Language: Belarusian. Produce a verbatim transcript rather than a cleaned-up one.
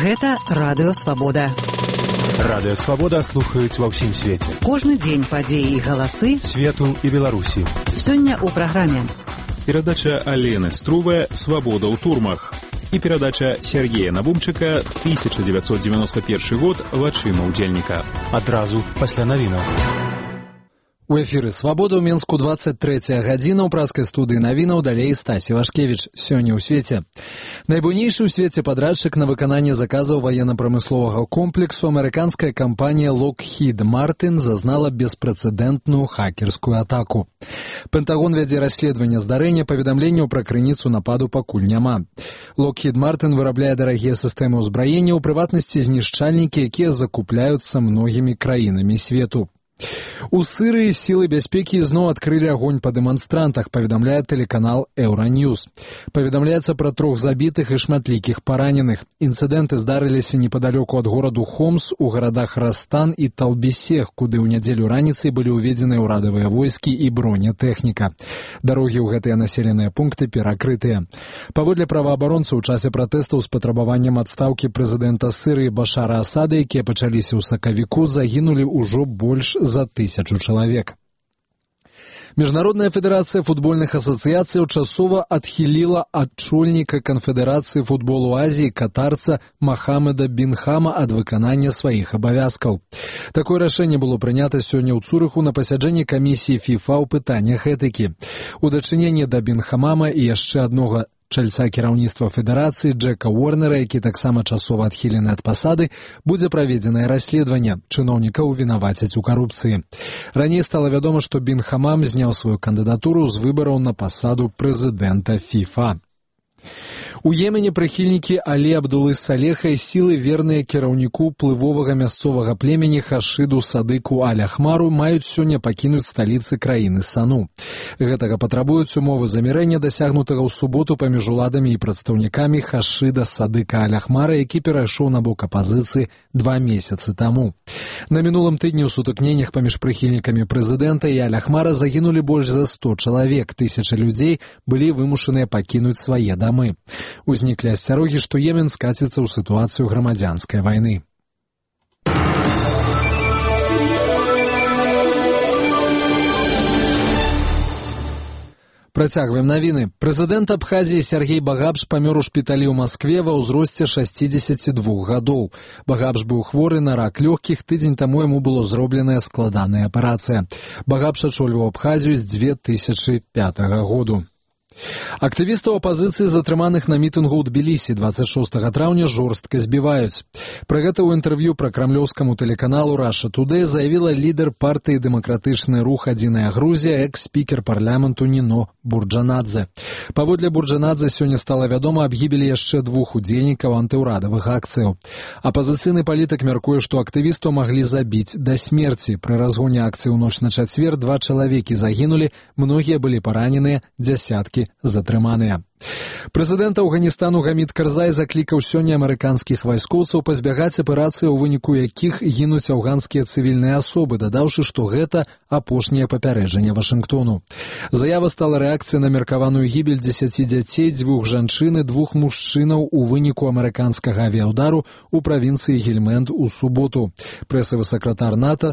Гэта Радыё Свабода. Радыё Свабода слухаюць ва ўсім свеце. Кожны дзень падзеі і галасы свету і Беларусі. Сёння ў праграме. Перадача Алены Струве «Свобода ў турмах» і перадача Сергея Набумчыка тысяча девятьсот девяносто первый год «Вачыма ўдзельніка». Адразу пасля навінаў. У эфіры «Свабода» ў Мінску двадцать третья гадзіна, ў праскай студыі навінаў далей Стасі Вашкевіч. Сёння ў свеце. Найбуйнейшы ў свеце падрадчык на выкананне заказаў ваенна-прамысловага комплексу амерыканская кампанія Lockheed Martin зазнала беспрэцэдэнтную хакерскую атаку. Пентагон вядзе расследаванне здарэння, паведамленняў пра крыніцу нападу пакуль няма. Lockheed Martin вырабляе дарагія сістэмы ўзбраення, у прыватнасці знішчальнікі, якія закупляюцца многімі краінамі свету. У Сырыі сілы бяспекі зноў адкрылі агонь па дэманстрантах, паведамляе тэлеканал Еўраньюз. Паведамляецца пра трох забітых і шматлікіх параненых. Інцыдэнты здарыліся непадалёку ад гораду Хомс у гарадах Растан і Талбісех, куды ў нядзелю раніцай былі ўведзеныя ўрадавыя войскі і бронетэхніка. Дарогі ў гэтыя населеныя пункты перакрытыя. Паводле праваабаронцаў, у часе пратэстаў з патрабаваннем адстаўкі прэзідэнта Сырыі Башара Асада, якія пачаліся ў сакавіку, загінулі ўжо больш за тысячу чалавек. Міжнародная федэрацыя футбольных асацыяцыяў часова адхіліла адчольніка канфедэрацыі футболу Азіі катарца Махамеда Бінхама ад выканання сваіх абавязкаў. Такое рашэнне было прынята сёння ў Цурыху на пасяджэнні камісіі ФІФА ў пытаннях этыкі. У дачыненні да Бінхамама і яшчэ аднога чальца кіраўніцтва федэрацыі Джека Уорнера, які таксама часова адхілены ад пасады, будзе праведзенае расследаванне. Чыноўнікаў вінавацяць у карупцыі. Раней стала вядома, што Бінхамам зняў сваю кандыдатуру з выбараў на пасаду прэзідэнта ФІФА. У Йемене прыхільнікі Алі Абдулы Салеха і сілы, верныя кіраўніку плывовага мясцовага племені Хашыду Садыку Аль-Ахмару, маюць сёння пакінуць сталіцы краіны Сану. Гэтага патрабуюць умовы замірэння, дасягнутага ў суботу паміж уладамі і прадстаўнікамі Хашыда Садыка Аль-Ахмара, які перайшоў на бок апазіцыі два месяцы таму. На мінулым тыдні ў сутыкненнях паміж прыхільнікамі прэзідэнта і Аль-Ахмара загінулі больш за сто чалавек. Тысячы людзей былі вымушаныя пакінуць свае дамы. Узніклі асцярогі, што Йемен скаціцца ў сітуацыю грамадзянскай вайны. Працягваем навіны. Прэзідэнт Абхазіі Сергей Багапш памёр у шпіталі ў Маскве ва ўзросце шасцідзесяці двух гадоў. Багапш быў хворы на рак лёгкіх, тыдзень таму яму было зробленая складаная аперацыя. Багапш ачольваў Абхазію з две тысячы пятага году. Актывістаў апазіцыі, затрыманых на мітынгу ў Тбілісі двадцать шостага траўня, жорстка збіваюць. Пра гэта ў інтэрв'ю пра крамлёўскаму тэлеканалу Russia Today заявіла лідар партыі «Дэмакратычны рух Адзіная Грузія», экс-спікер парламенту Ніно Бурджанадзе. Паводле Бурджанадзе сёння стала вядома аб гібелі яшчэ двух удзельнікаў антыўрадавых акцыяў. Апазіцыйны палітык мяркуе, што актывістаў маглі забіць да смерці. Пры разгоне акцыі ў ноч на чацвер два чалавекі загінулі, многія былі параненыя, дзясяткі затрыманыя. Прэзідэнт Афганістану Гамід Карзай заклікаў сёння амерыканскіх вайскоўцаў пазбягаць аперацыі, у выніку якіх гінуць афганскія цывільныя асобы, дадаўшы, што гэта апошняе папярэджанне Вашынгтону. Заява стала рэакцыяй на меркаваную гібель дзесяці дзяцей, дзвюх жанчын і двух мужчынаў у выніку амерыканскага авіяўдару ў правінцыі Гельмэнд у суботу. Прэсавы сакратар НАТО